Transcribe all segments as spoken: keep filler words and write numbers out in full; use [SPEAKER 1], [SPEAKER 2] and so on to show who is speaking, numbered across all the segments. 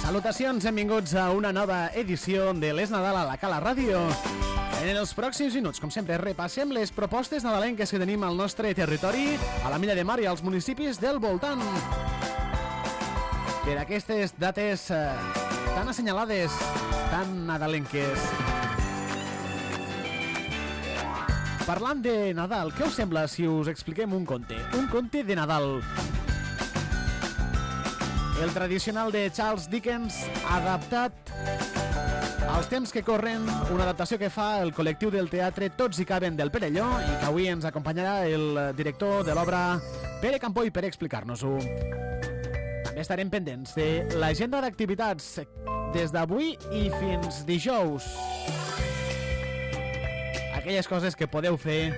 [SPEAKER 1] Salutacions, benvinguts a una nova edició de l'Es Nadal a la Cala Ràdio. En els pròxims minuts, com sempre, repassem les propostes nadalenques que tenim al nostre territori, a la Milla de Mar i als municipis del voltant. Per aquestes dates eh, tan assenyalades, tan nadalenques. Parlant de Nadal, què us sembla si us expliquem un conte? Un conte de Nadal. El tradicional de Charles Dickens, adaptat als temps que corren, una adaptació que fa el col·lectiu del teatre Tots hi caben del Perelló i que avui ens acompanyarà el director de l'obra, Pere Campoy, per explicar-nos-ho. També estarem pendents de l'agenda d'activitats des d'avui i fins dijous. Aquelles coses que podeu fer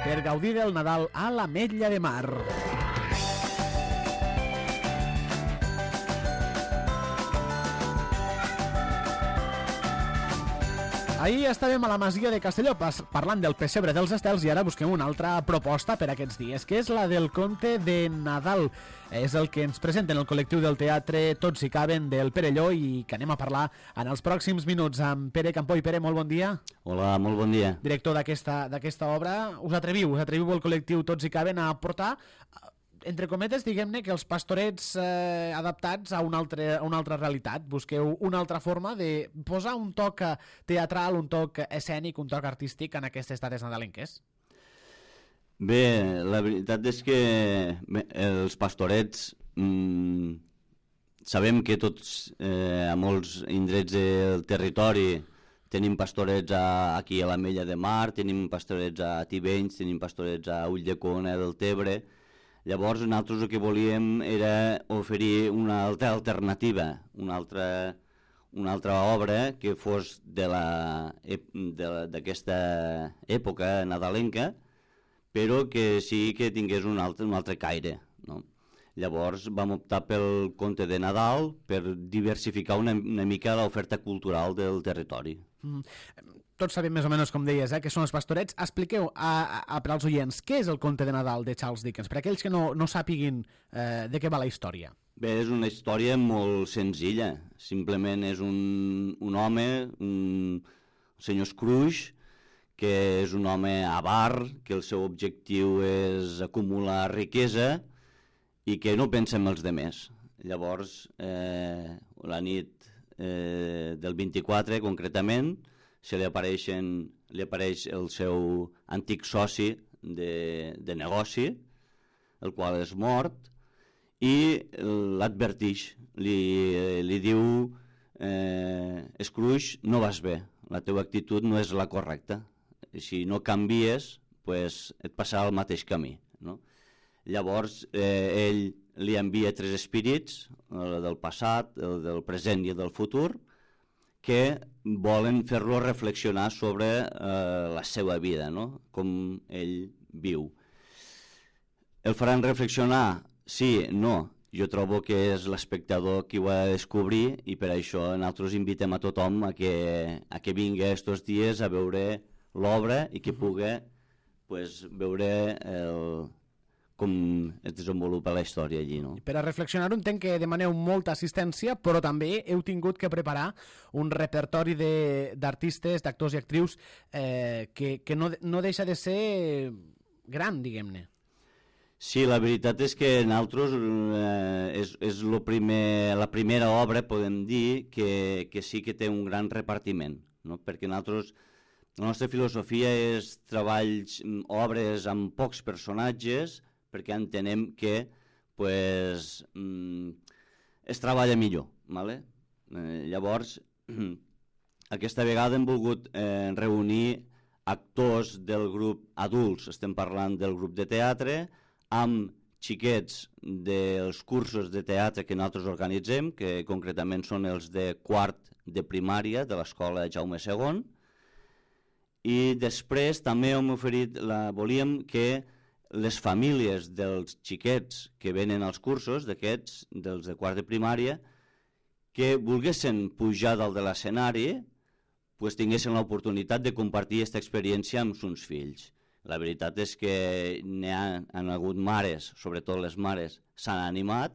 [SPEAKER 1] per gaudir del Nadal a l'Ametlla de Mar. Ahir estàvem a la masia de Castelló parlant del pessebre dels estels i ara busquem una altra proposta per aquests dies, que és la del conte de Nadal. És el que ens presenten el col·lectiu del teatre Tots hi caben del Perelló i que anem a parlar en els pròxims minuts amb Pere Campoy. Pere, molt bon dia.
[SPEAKER 2] Hola, molt bon dia.
[SPEAKER 1] Director d'aquesta d'aquesta obra, us atreviu, us atreviu el col·lectiu Tots hi caben a portar, entre cometes, diguem-ne, que els pastorets eh, adaptats a una, altra, a una altra realitat. Busqueu una altra forma de posar un toc teatral, un toc escènic, un toc artístic en aquestes dates nadalenques.
[SPEAKER 2] Bé, la veritat és que bé, els pastorets mmm, sabem que tots eh, a molts indrets del territori tenim pastorets a, aquí a l'Ametlla de Mar, tenim pastorets a Tivenys, tenim pastorets a Ulldecona del Tebre. Llavors, nosaltres el que volíem era oferir una altra alternativa, una altra, una altra obra que fos de la, de la, d'aquesta època nadalenca, però que sí que tingués un altre, un altre caire, no? Llavors vam optar pel conte de Nadal per diversificar una, una mica l'oferta cultural del territori.
[SPEAKER 1] Mm. Tots sabem més o menys, com deies, eh, que són els pastorets. Expliqueu a, a, a, per als oients què és el conte de Nadal de Charles Dickens, per aquells que no, no sàpiguin eh, de què va la història.
[SPEAKER 2] Bé, és una història molt senzilla. Simplement és un, un home, un senyor Scrooge, que és un home avar, que el seu objectiu és acumular riquesa i que no pensa en els demés. Llavors, eh, la nit eh, del vint-i-quatre, concretament, se li, apareixen, li apareix el seu antic soci de, de negoci, el qual és mort, i l'advertix, li, li diu eh, Scrooge, no vas bé, la teva actitud no és la correcta, si no canvies, pues, et passarà el mateix camí, no? Llavors eh, ell li envia tres espírits, el del passat, el del present i el del futur, que volen fer-lo reflexionar sobre eh, la seva vida, no? Com ell viu. El faran reflexionar? Sí, no. Jo trobo que és l'espectador qui ho ha de descobrir i per això nosaltres invitem a tothom a que, a que vingui estos dies a veure l'obra i que pugui pues, veure el, com es desenvolupa la història allí, no?
[SPEAKER 1] Per a reflexionar entenc que demaneu molta assistència, però també heu tingut que preparar un repertori d'artistes, d'actors i actrius eh, que, que no, no deixa de ser gran, diguem-ne.
[SPEAKER 2] Sí, la veritat és que nosaltres eh, és, és lo primer, la primera obra, podem dir, que, que sí que té un gran repartiment, no? Perquè nosaltres, la nostra filosofia és treballs, obres amb pocs personatges, perquè entenem que pues, mm, es treballa millor. ¿Vale? Eh, llavors, aquesta vegada hem volgut eh, reunir actors del grup adults, estem parlant del grup de teatre, amb xiquets dels cursos de teatre que nosaltres organitzem, que concretament són els de quart de primària de l'escola Jaume segon, i després també hem oferit, la, volíem que les famílies dels xiquets que venen als cursos, d'aquests, dels de quart de primària, que volguessin pujar dalt de l'escenari, pues tinguessin l'oportunitat de compartir aquesta experiència amb sus fills. La veritat és que n'hi ha, han hagut mares, sobretot les mares, s'han animat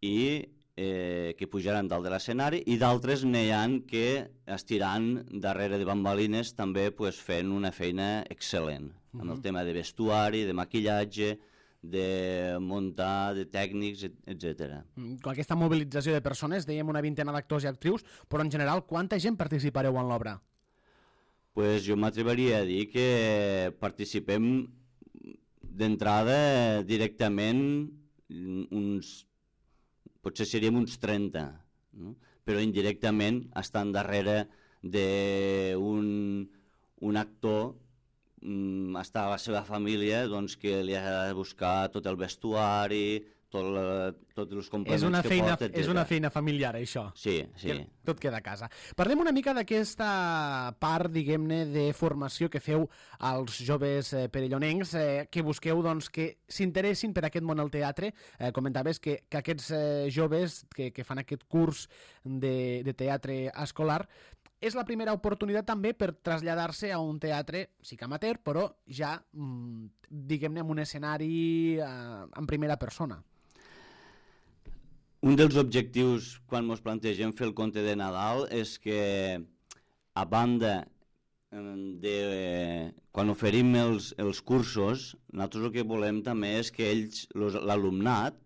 [SPEAKER 2] i eh, que pujaran dalt de l'escenari, i d'altres n'hi ha que estiran darrere de bambalines també pues, fent una feina excel·lent, uh-huh. amb el tema de vestuari, de maquillatge, de muntar, de tècnics, etcètera.
[SPEAKER 1] Aquesta mobilització de persones, dèiem una vintena d'actors i actrius, però en general quanta gent participareu en l'obra?
[SPEAKER 2] Pues jo m'atreviria a dir que participem d'entrada directament uns... potser seríem uns trenta, no? Però indirectament estan darrere d'un un actor, mm, està la seva família, doncs, que li ha de buscar tot el vestuari, tot la, tots els complements
[SPEAKER 1] és una
[SPEAKER 2] que
[SPEAKER 1] feina,
[SPEAKER 2] porta, etcètera.
[SPEAKER 1] És una feina familiar, això.
[SPEAKER 2] Sí, sí.
[SPEAKER 1] Que tot queda a casa. Parlem una mica d'aquesta part, diguem-ne, de formació que feu als joves eh, perellonencs, eh, que busqueu doncs, que s'interessin per aquest món al teatre. Eh, comentaves que, que aquests eh, joves que, que fan aquest curs de, de teatre escolar és la primera oportunitat també per traslladar-se a un teatre, sí que amateur, però ja, mm, diguem-ne, en un escenari eh, en primera persona.
[SPEAKER 2] Un dels objectius quan ens plantegem fer el conte de Nadal és que, a banda de... quan oferim els, els cursos, nosaltres el que volem també és que ells, l'alumnat,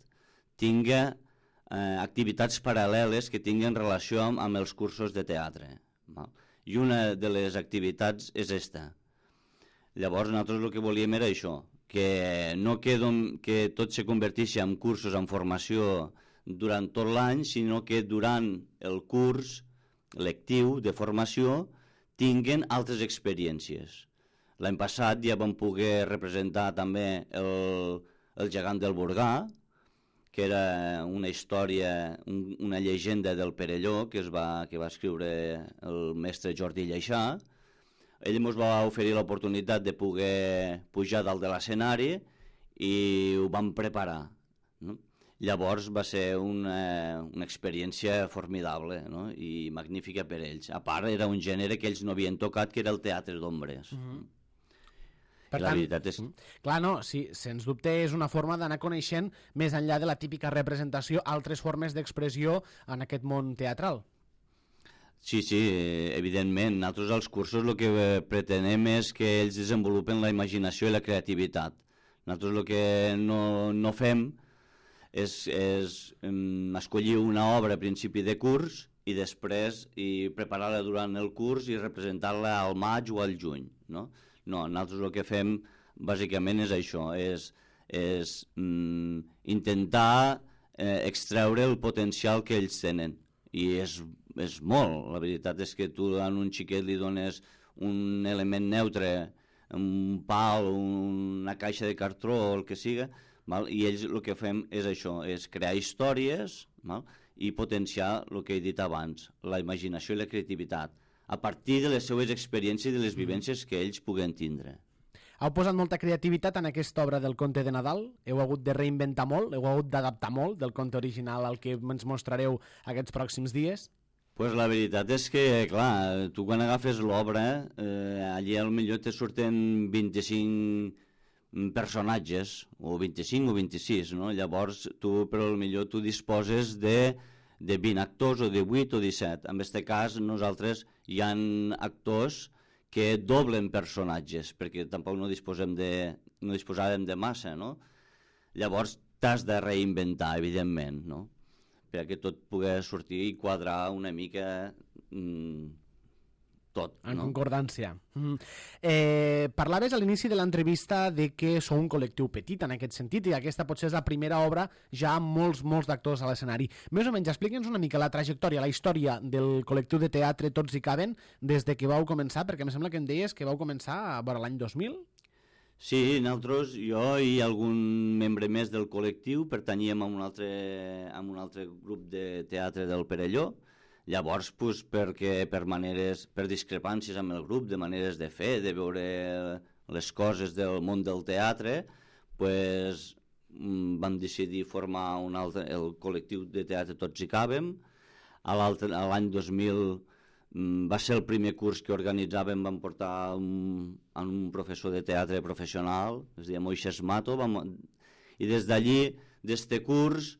[SPEAKER 2] tinga eh, activitats paral·leles que tinguin relació amb, amb els cursos de teatre. Val? I una de les activitats és esta. Llavors nosaltres el que volíem era això, que no que, que tot se convertís en cursos, en formació durant tot l'any, sinó que durant el curs lectiu de formació tinguen altres experiències. L'any passat ja vam poder representar també el, el gegant del Burgà, que era una història, un, una llegenda del Perelló que, es va, que va escriure el mestre Jordi Lleixà. Ell ens va oferir l'oportunitat de poder pujar dalt de l'escenari i ho vam preparar, no? Llavors va ser una, una experiència formidable, no? I magnífica per ells. A part, era un gènere que ells no havien tocat, que era el teatre d'ombres. Uh-huh.
[SPEAKER 1] Per tant, és... clar, no, sí, sens dubte és una forma d'anar coneixent, més enllà de la típica representació, altres formes d'expressió en aquest món teatral.
[SPEAKER 2] Sí, sí, evidentment. Nosaltres als cursos el que pretenem és que ells desenvolupen la imaginació i la creativitat. Nosaltres el que no, no fem és, és um, escollir una obra a principi de curs i després i preparar-la durant el curs i representar-la al maig o al juny, no? No, nosaltres el que fem bàsicament és això, és, és um, intentar eh, extreure el potencial que ells tenen. I és, és molt, la veritat és que tu a un xiquet li dones un element neutre, un pal, una caixa de cartró o el que siga, val? I ells el que fem és això, és crear històries, val? I potenciar el que he dit abans, la imaginació i la creativitat, a partir de les seues experiències i de les vivències que ells puguen tindre.
[SPEAKER 1] Heu posat molta creativitat en aquesta obra del conte de Nadal? Heu hagut de reinventar molt? Heu hagut d'adaptar molt del conte original al que ens mostrareu aquests pròxims dies?
[SPEAKER 2] Pues la veritat és que, clar, tu quan agafes l'obra, eh, allí potser te surten vint-i-cinc personatges, o vint-i-cinc o vint-i-sis, no? Llavors tu, però potser tu disposes de, de vint actors o de vuit o disset. En aquest cas, nosaltres hi ha actors que doblen personatges, perquè tampoc no disposem de, no disposàvem de massa, no? Llavors t'has de reinventar, evidentment, no? Perquè tot pugui sortir i quadrar una mica mmm, tot,
[SPEAKER 1] en
[SPEAKER 2] no?
[SPEAKER 1] concordància. Mm. Eh, parlaves a l'inici de l'entrevista de que sou un col·lectiu petit en aquest sentit i aquesta potser és la primera obra ja amb molts, molts d'actors a l'escenari. Més o menys, expliqui'ns una mica la trajectòria, la història del col·lectiu de teatre Tots hi caben des de que vau començar, perquè em sembla que em deies que vau començar a veure l'any dos mil?
[SPEAKER 2] Sí, nosaltres, jo i algun membre més del col·lectiu pertanyíem a un altre, a un altre grup de teatre del Perelló. Llavors, pues, perquè per maneres, per discrepàncies amb el grup, de maneres de fer, de veure les coses del món del teatre, pues, vam decidir formar un altre, el col·lectiu de teatre Tots hi cabem. A l'any dos mil va ser el primer curs que organitzàvem, vam portar un, un professor de teatre professional, es deia Moixes Mato, vam, i des d'allí, d'este curs,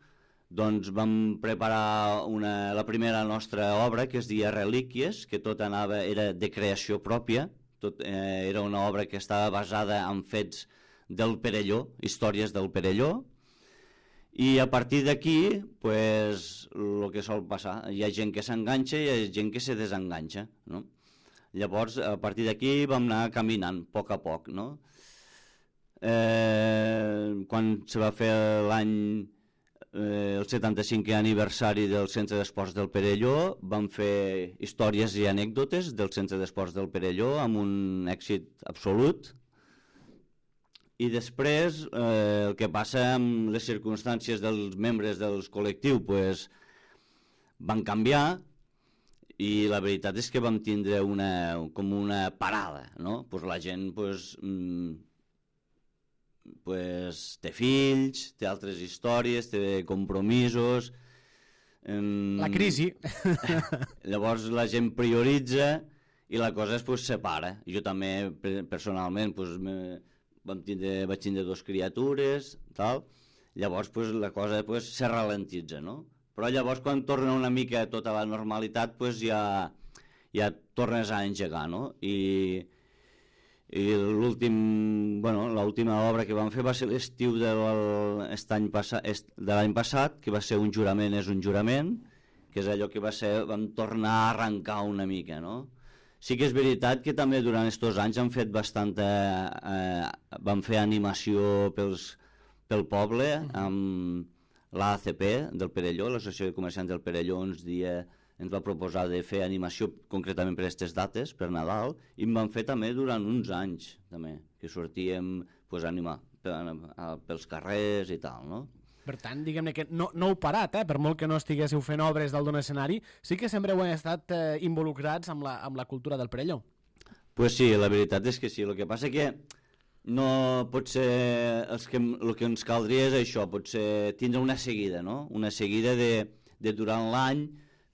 [SPEAKER 2] doncs vam preparar una, la primera nostra obra, que es deia Relíquies, que tot anava, era de creació pròpia, tot, eh, era una obra que estava basada en fets del Perelló, històries del Perelló, i a partir d'aquí, pues, el que sol passar, hi ha gent que s'enganxa i hi ha gent que se desenganxa, no? Llavors, a partir d'aquí vam anar caminant, a poc a poc, no? Eh, quan se va fer l'any, eh, el setanta-cinquè aniversari del Centre d'Esports del Perelló, vam fer històries i anècdotes del Centre d'Esports del Perelló amb un èxit absolut. I després, eh, el que passa amb les circumstàncies dels membres del col·lectiu, pues, van canviar, i la veritat és que vam tindre una, com una parada, no? Pues la gent pues, mm, pues, té fills, té altres històries, té compromisos...
[SPEAKER 1] Mm, la crisi.
[SPEAKER 2] Llavors la gent prioritza i la cosa es pues, separa. Jo també, personalment, pues, me, vam tindre, vaig tindre dos criatures, tal. Llavors pues, la cosa pues, se ralentitza, no? Però llavors quan torna una mica tota la normalitat pues ja, ja tornes a engegar, no? I, i l'últim, bueno, l'última obra que vam fer va ser l'estiu de l'any passa, passat, que va ser Un jurament és un jurament, que és allò que va ser, vam tornar a arrencar una mica, no? Sí que és veritat que també durant aquests anys han fet bastanta, eh, vam fer animació pels, pel poble, amb l'A C P del Perelló, l'Associació de Comerciants del Perelló, uns dies ens va proposar de fer animació concretament per aquestes dates, per Nadal, i en vam fer també durant uns anys, també, que sortíem pues, a animar pels carrers i tal, no?
[SPEAKER 1] Per tant, diguem-ne que no, no heu parat, eh? Per molt que no estiguéssiu fent obres dalt d'un escenari, sí que sempre heu estat eh, involucrats amb la, amb la cultura del Perelló.
[SPEAKER 2] Pues sí, la veritat és que sí, el que passa que no pot ser, els que, el que ens caldria és això, pot ser tindre una seguida, no? Una seguida de, de durant l'any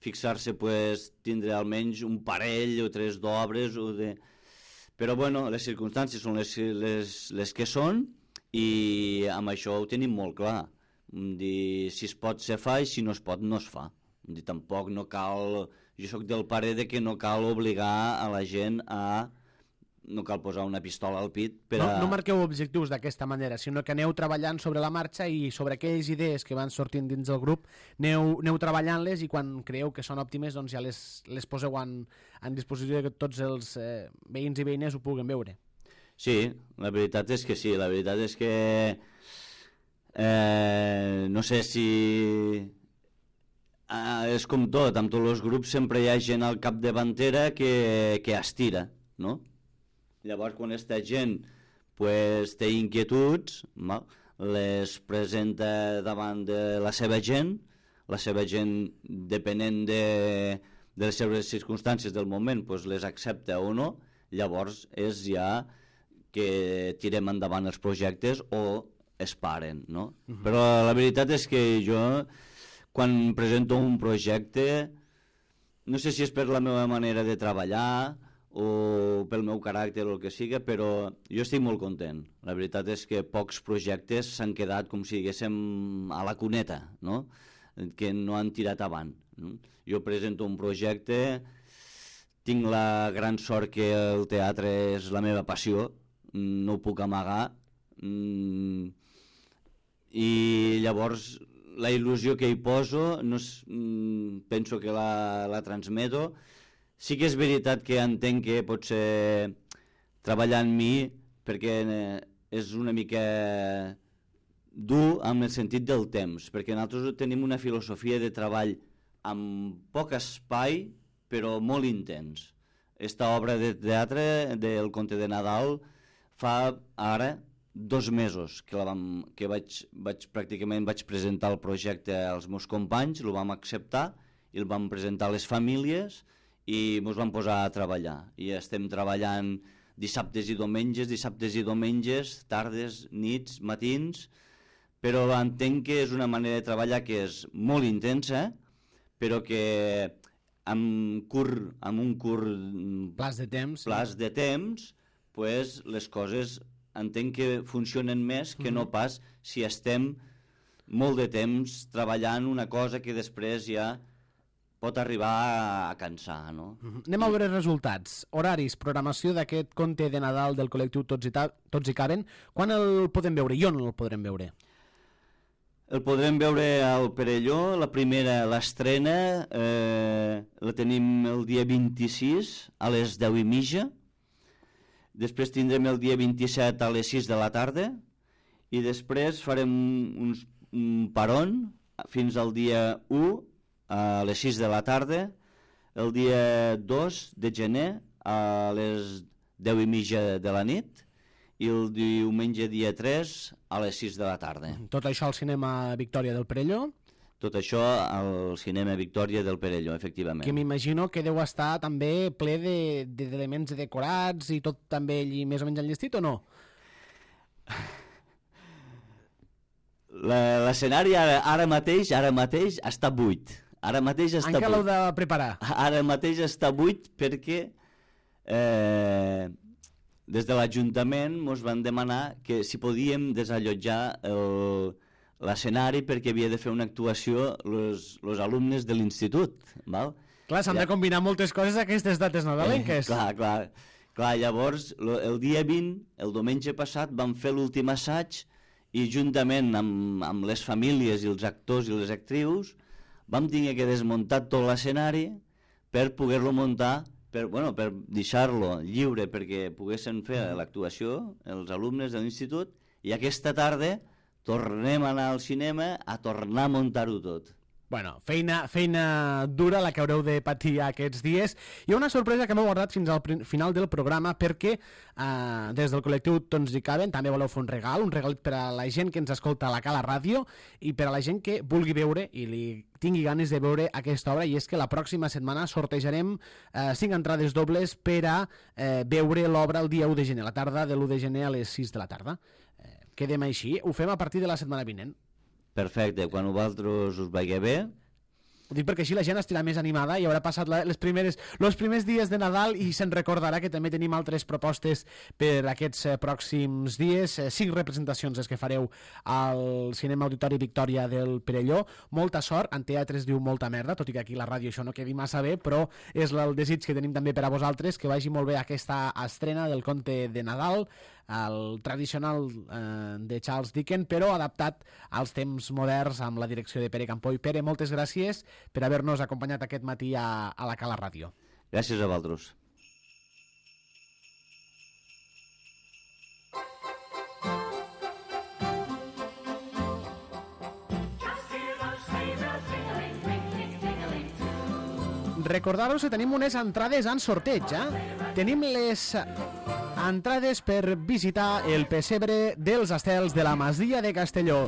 [SPEAKER 2] fixar-se, pues, tindre almenys un parell o tres d'obres, o de... però bueno, les circumstàncies són les, les, les que són i amb això ho tenim molt clar. Dir, si es pot se fa i si no es pot no es fa. Dir, tampoc no cal, jo sóc del parer de que no cal obligar a la gent a no cal posar una pistola al pit per a...
[SPEAKER 1] No, no marqueu objectius d'aquesta manera, sinó que aneu treballant sobre la marxa i sobre aquelles idees que van sortint dins del grup, aneu, aneu treballant-les i quan creieu que són òptimes doncs ja les, les poseu en, en disposició que tots els eh, veïns i veïnes ho puguen veure.
[SPEAKER 2] Sí, la veritat és que sí, la veritat és que eh, no sé si... Eh, és com tot, amb tots els grups sempre hi ha gent al capdavantera que, que estira, no? Llavors, quan aquesta gent pues, té inquietuds, mal, les presenta davant de la seva gent, la seva gent, depenent de, de les seves circumstàncies del moment, pues, les accepta o no, llavors és ja que tirem endavant els projectes o es paren, no? Uh-huh. Però la veritat és que jo, quan presento un projecte, no sé si és per la meva manera de treballar o pel meu caràcter o el que siga, però jo estic molt content. La veritat és que pocs projectes s'han quedat com si diguéssim a la cuneta, no? Que no han tirat avant. No? Jo presento un projecte, tinc la gran sort que el teatre és la meva passió, no ho puc amagar, i llavors la il·lusió que hi poso no és, penso que la, la transmeto. Sí que és veritat que entenc que pot ser treballar en mi perquè és una mica dur amb el sentit del temps, perquè nosaltres tenim una filosofia de treball amb poc espai però molt intens. Esta obra de teatre del Conte de Nadal fa ara dos mesos que, la vam, que vaig, vaig, pràcticament vaig presentar el projecte als meus companys, el vam acceptar i el vam presentar a les famílies i ens vam posar a treballar. I estem treballant dissabtes i diumenges, dissabtes i diumenges, tardes, nits, matins, però entenc que és una manera de treballar que és molt intensa, però que amb, curt, amb un curt
[SPEAKER 1] plaç de temps,
[SPEAKER 2] plaç de temps pues, les coses entenc que funcionen més que no pas si estem molt de temps treballant una cosa que després ja pot arribar a cansar, no?
[SPEAKER 1] Uh-huh. Anem a veure resultats, horaris, programació d'aquest conte de Nadal del col·lectiu Tots i, ta... Tots i Caben. Quan el podem veure i on el podrem veure?
[SPEAKER 2] El podrem veure al Perelló, la primera, l'estrena, eh, la tenim el dia vint-i-sis a les deu i mitja, després tindrem el dia vint-i-set a les sis de la tarda i després farem uns, un paron fins al dia u a les sis de la tarda, el dia dos de gener a les deu i mitja de la nit i el diumenge dia tres a les sis de la tarda.
[SPEAKER 1] Tot això al cinema Victòria del Perelló?
[SPEAKER 2] Tot això al cinema Victòria del Perelló, efectivament.
[SPEAKER 1] Que m'imagino que deu estar també ple d'elements de, decorats i tot també allí més o menys enllestit, o no?
[SPEAKER 2] L'escenari ara, ara mateix ara mateix està buit. Ara mateix està
[SPEAKER 1] Encara l'heu
[SPEAKER 2] buit.
[SPEAKER 1] de preparar.
[SPEAKER 2] Ara mateix està buit perquè eh, des de l'Ajuntament ens van demanar que si podíem desallotjar l'escenari perquè havia de fer una actuació els alumnes de l'institut.
[SPEAKER 1] Clar, s'han ja. de combinar moltes coses aquestes dates nadalenques.
[SPEAKER 2] Eh, clar, clar. Clar, llavors, el dia vint, el diumenge passat, vam fer l'últim assaig i juntament amb, amb les famílies i els actors i les actrius vam tenir que desmuntar tot l'escenari per poder-lo muntar, per, bueno, per deixar-lo lliure perquè poguessin fer l'actuació els alumnes de l'institut i aquesta tarda tornem a anar al cinema a tornar a muntar-ho tot.
[SPEAKER 1] Bueno, feina, feina dura la que haureu de patir aquests dies. Hi ha una sorpresa que m'he guardat fins al final del programa perquè eh, des del col·lectiu Tots hi Caben també voleu fer un regal, un regal per a la gent que ens escolta a la Cala Ràdio i per a la gent que vulgui veure i li tingui ganes de veure aquesta obra, i és que la pròxima setmana sortejarem eh, cinc entrades dobles per a eh, veure l'obra el dia u de gener, la tarda de l'u de gener a les sis de la tarda. Eh, quedem així, ho fem a partir de la setmana vinent.
[SPEAKER 2] Perfecte, quan vosaltres us vagi bé.
[SPEAKER 1] Ho dic perquè així la gent estarà més animada i haurà passat la, les primeres, els primers dies de Nadal i se'n recordarà que també tenim altres propostes per aquests eh, pròxims dies. Eh, cinc representacions les que fareu al Cinema Auditori Victòria del Perelló. Molta sort, en teatre es diu molta merda, tot i que aquí a la ràdio això no quedi massa bé, però és el desig que tenim també per a vosaltres, que vagi molt bé aquesta estrena del conte de Nadal, el tradicional eh, de Charles Dickens, però adaptat als temps moderns amb la direcció de Pere Campoy. Pere, moltes gràcies per haver-nos acompanyat aquest matí a, a la Cala Ràdio.
[SPEAKER 2] Gràcies a vosaltres.
[SPEAKER 1] Recordar-vos que tenim unes entrades en sorteig, eh? Tenim les entrades per visitar el pessebre dels estels de la Masia de Castelló.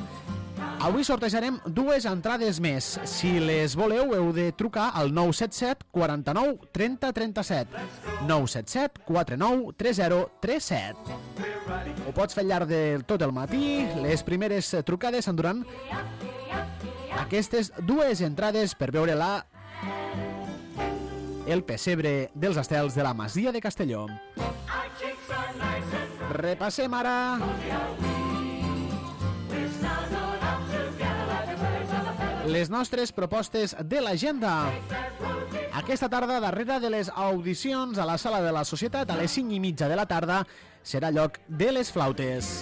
[SPEAKER 1] Avui sortejarem dues entrades més. Si les voleu, heu de trucar al nou set set quaranta-nou trenta trenta-set. nou set set quaranta-nou trenta trenta-set. Ho pots fer al llarg de tot el matí. Les primeres trucades s'enduran aquestes dues entrades per veure la el pessebre dels estels de la Masia de Castelló. Repassem ara les nostres propostes de l'agenda. Aquesta tarda, darrere de les audicions a la Sala de la Societat, a les cinc i mitja de la tarda, serà lloc de les flautes.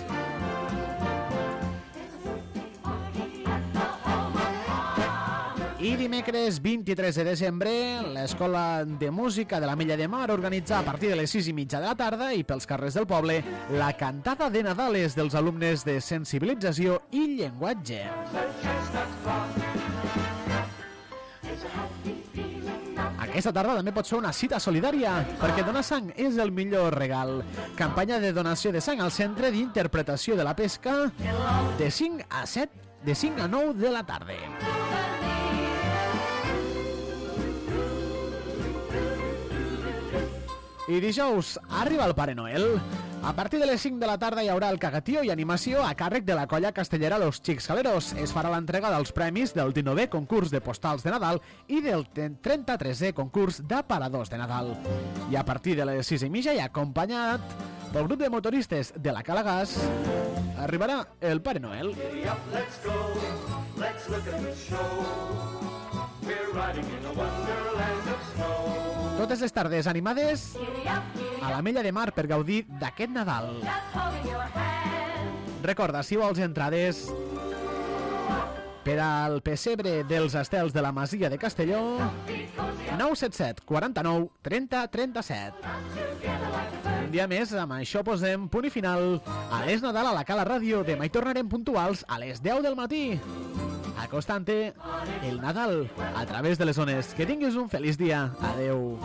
[SPEAKER 1] I dimecres vint-i-tres de desembre, l'Escola de Música de l'Ametlla de Mar organitza a partir de les sis i mitja de la tarda i pels carrers del poble la cantada de Nadales dels alumnes de sensibilització i llenguatge. Aquesta tarda també pot ser una cita solidària, perquè donar sang és el millor regal. Campanya de donació de sang al Centre d'Interpretació de la Pesca de cinc a set, de cinc a nou de la tarda. I dijous arriba el Pare Noel. A partir de les cinc de la tarda hi haurà el cagatío i animació a càrrec de la colla castellera Los Xics Jaleros. Es farà l'entrega dels premis del dinovè concurs de postals de Nadal i del trenta-tresè concurs d'aparadors de Nadal. I a partir de les sis i mitja i acompanyat pel grup de motoristes de la Cala Gas arribarà el Pare Noel. Totes les tardes animades a l'Ametlla de Mar per gaudir d'aquest Nadal. Recorda, si vols entrades per al pessebre dels estels de la Masia de Castelló, nou set set quaranta-nou trenta trenta-set. Un dia més, amb això posem punt i final a l'Es Nadal a la Cala Ràdio. Demà hi tornarem puntuals a les deu del matí, acostant-te el Nadal a través de les ones. Que tinguis un feliç dia. Adeu.